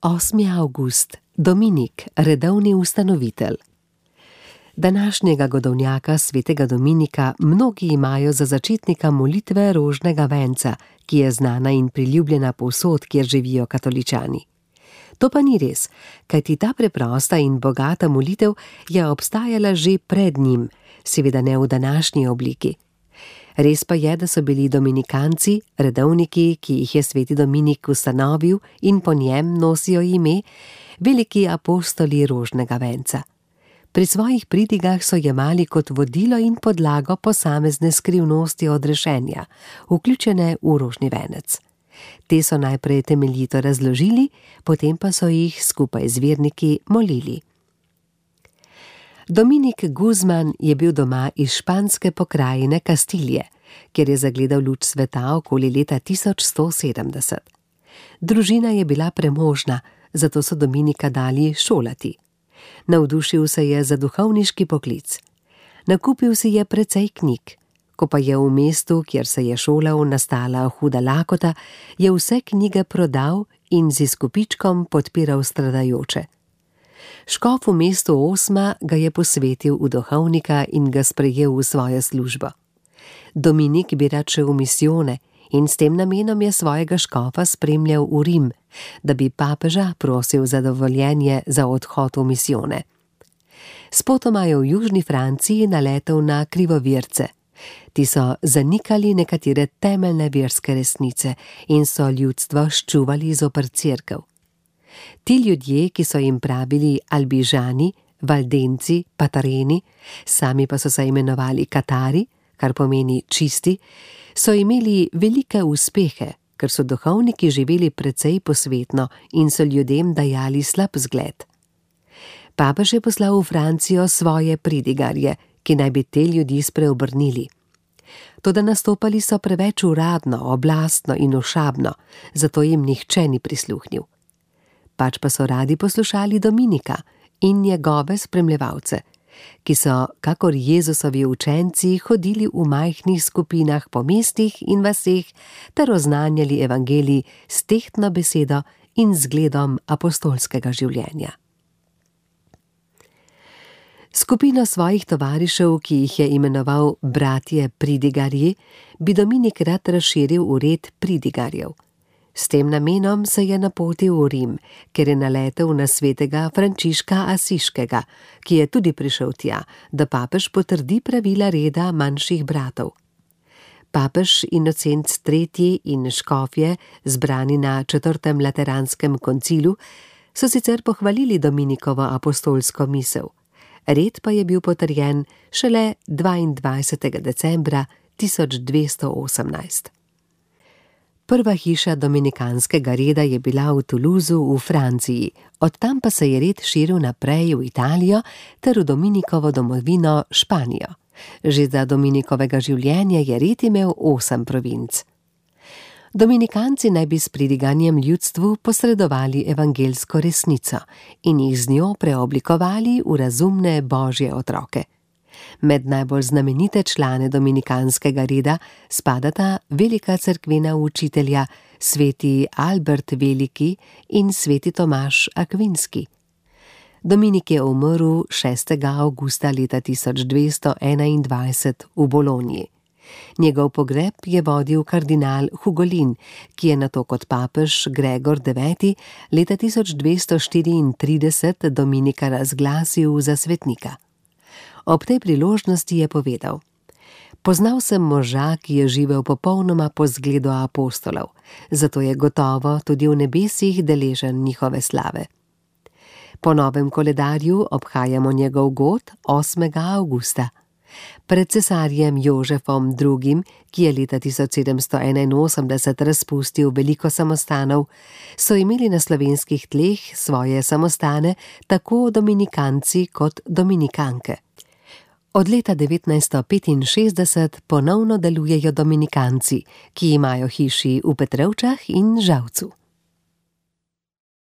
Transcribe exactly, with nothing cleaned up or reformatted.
osmi avgust, Dominik, redovni ustanovitelj. Današnjega godovnjaka svetega Dominika mnogi imajo za začetnika molitve rožnega venca, ki je znana in priljubljena povsod, kjer živijo katoličani. To pa ni res, kajti ta preprosta in bogata molitev je obstajala že pred njim, seveda ne v današnji obliki. Res pa je, da so bili dominikanci, redovniki, ki jih je sveti Dominik ustanovil in po njem nosijo ime, veliki apostoli rožnega venca. Pri svojih pridigah so jemali kot vodilo in podlago posamezne skrivnosti odrešenja, vključene v rožni venec. Te so najprej temeljito razložili, potem pa so jih skupaj z verniki molili. Dominik Guzman je bil doma iz španske pokrajine Kastilje, kjer je zagledal luč sveta okoli leta tisoč sto sedemdeset. Družina je bila premožna, zato so Dominika dali šolati. Navdušil se je za duhovniški poklic. Nakupil si je precej knjig. Ko pa je v mestu, kjer se je šolal, nastala huda lakota, je vse knjige prodal in z izkupičkom podpiral stradajoče. Škof v mestu Osma ga je posvetil v duhovnika in ga sprejel v svojo službo. Dominik bi rad šel v misijone in s tem namenom je svojega škofa spremljal v Rim, da bi papeža prosil za dovoljenje za odhod v misijone. Spotoma je v južni Franciji naletel na krivovirce. Ti so zanikali nekatere temeljne verske resnice in so ljudstvo ščuvali zoper cerkev. Ti ljudje, ki so jim pravili albižani, valdenci, patareni, sami pa so se imenovali katari, kar pomeni čisti, so imeli velike uspehe, ker so duhovniki živeli precej posvetno in so ljudem dajali slab zgled. Papež je poslal v Francijo svoje pridigarje, ki naj bi te ljudi spreobrnili. Toda nastopali so preveč uradno, oblastno in ošabno, zato jim nihče ni prisluhnil. Pač pa so radi poslušali Dominika in njegove spremljevalce, ki so, kakor Jezusovi učenci, hodili v majhnih skupinah po mestih in vaseh ter oznanjali evangelij s tehtno besedo in zgledom apostolskega življenja. Skupino svojih tovarišev, ki jih je imenoval bratje pridigarji, bi Dominik rad razširil v red pridigarjev. S tem namenom se je napotil v Rim, ker je naletel na svetega Frančiška Asiškega, ki je tudi prišel tja, da papež potrdi pravila reda manjših bratov. Papež Inocent tretji in škofje, zbrani na četrtem lateranskem koncilu, so sicer pohvalili Dominikovo apostolsko misel. Red pa je bil potrjen šele dvaindvajsetega decembra tisoč dvesto osemnajst. Prva hiša dominikanskega reda je bila v Toulouseu v Franciji, od tam pa se je red širil naprej v Italijo ter v Dominikovo domovino Španijo. Že za Dominikovega življenja je red imel osem provinc. Dominikanci naj bi s pridiganjem ljudstvu posredovali evangelsko resnico in jih z njo preoblikovali v razumne božje otroke. Med najbolj znamenite člane dominikanskega reda spadata velika cerkvena učitelja sveti Albert Veliki in sveti Tomaž Akvinski. Dominik je umrl šestega avgusta leta tisoč dvesto enaindvajset v Bologni. Njegov pogreb je vodil kardinal Hugolin, ki je nato kot papež Gregor deveti leta tisoč dvesto štiriintrideset Dominika razglasil za svetnika. Ob tej priložnosti je povedal: Poznal sem moža, ki je živel popolnoma po zgledu apostolov, zato je gotovo tudi v nebesih deležen njihove slave. Po novem koledarju obhajamo njegov god osmega avgusta. Pred cesarjem Jožefom drugim, ki je leta tisoč sedemsto enainosemdeset razpustil veliko samostanov, so imeli na slovenskih tleh svoje samostane tako dominikanci kot dominikanke. Od leta devetnajststo petinšestdeset ponovno delujejo dominikanci, ki imajo hiši v Petrovčah in Žalcu.